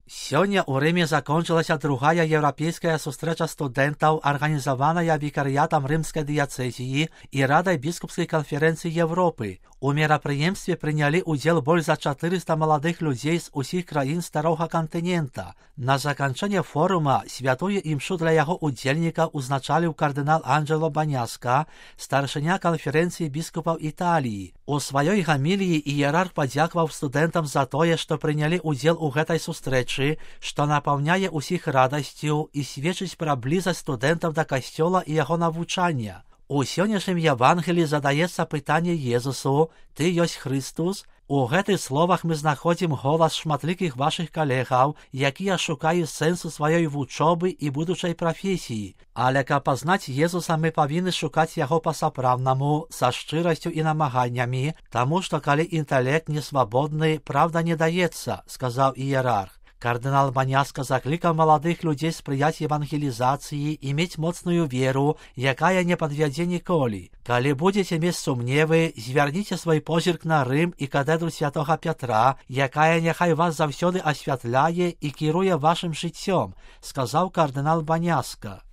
Сёння ў Рыме закончылася другая еўрапейская сустрэча студэнтаў, арганізаваная вікарыятам рымскай дыяцэзіі і радай біскупскай канферэнцыі Европы. У мерапрыемстве прынялі ўдзел больш за 400 маладых людзей з усіх краін старога кантынента. На заканчэнне форума святую імшу для яго удзельнікаў узначаліў кардынал Анджело Баняска, старшыня канферэнцыі біскупаў Італіі. У сваёй гаміліі іерарх падзякаваў студэнтам за тое, што прынялі ўдзел у гэтай сустрэчы, што напаўняе ўсіх радасцю і сведчыць пра блізасць студэнтаў да касцёла і яго навучання. У сённяшнім Евангеліі задаецца пытанне Езусу: «Ты ёсць Хрыстус?» У гэтых словах мы знаходзім голас шматлікіх вашых калегаў, якія шукаюць сэнсу сваёй вучобы і будучай прафесіі. Але каб пазнаць Езуса, мы павінны шукаць яго па-сапраўднаму, са шчырасцю і намаганнямі, таму што калі інтэлект не свабодны, правда не даецца, сказаў іерарх. Кардынал Баняска заклікаў маладых людзей спрыяць евангелізацыі і мець моцную веру, якая не падвядзе ніколі. Калі будзеце мець сумневы, звярніце свой позірк на Рым і катедру святога Пятра, якая няхай вас заўсёды асвятляе і кіруе вашым жыццём, сказаў кардынал Баняска.